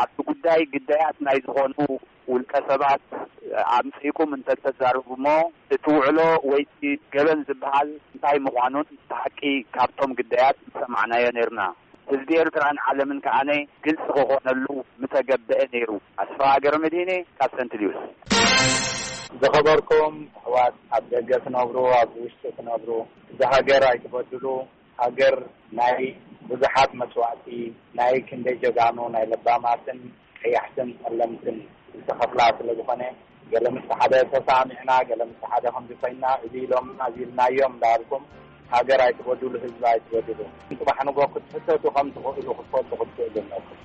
ኣብቲ ጉዳይ ግዳያት ናይ ዝኾኑ ውልቀ ሰባት ኣምፂእኩም እንተተዛርቡ እሞ እቲ ውዕሎ ወይ እቲ ገበን ዝበሃል እንታይ ምዃኑን ብሓቂ ካብቶም ግዳያት ምሰማዕናዮ ነይርና። ህዝቢ ኤርትራን ዓለምን ከኣነ ግልፂ ክኾነሉ ምተገበአ ነይሩ። ኣስፋ ሃገረ መድህኔ ካብ ሰንት ሊዩስ። ዝኸበርኩም ኣሕዋት ኣብ ደገ ትነብሩ ኣብ ውሽጢ ትነብሩ እዛ ሃገር ኣይትበድሉ። ሃገር ናይ ብዙሓት መስዋእቲ ናይ ክንደይ ጀጋኑ ናይ ለባማትን ቀያሕትን ጸለምትን ዝተኸፍላ ስለ ዝኾነ ገለ ምስ ሓደ ተሳሚዕና ገለ ምስ ሓደ ከምዚ ኮይና እዚ ኢሎምና እዚ ኢልናዮም እንዳበልኩም ሃገር ኣይትበድሉ ህዝቢ ኣይትበድሉ። ጽባሕ ንጎ ክትሕተቱ ከም ትኽእሉ ክትፈልጡ ክትክእሉ ኣለኩም።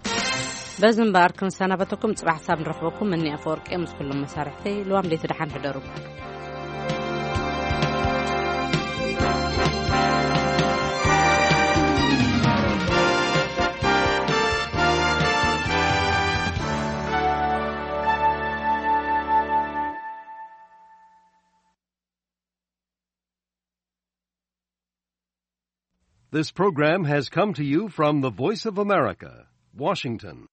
በዚ እምበኣር ክንሰናበተኩም ጽባሕ ሳብ ንረኽበኩም እኒ ኣፈወርቂ ምስ ኩሎም መሳርሕተይ ልዋም ደይ ትደሓን ሕደሩ። This program has come to you from the Voice of America, Washington.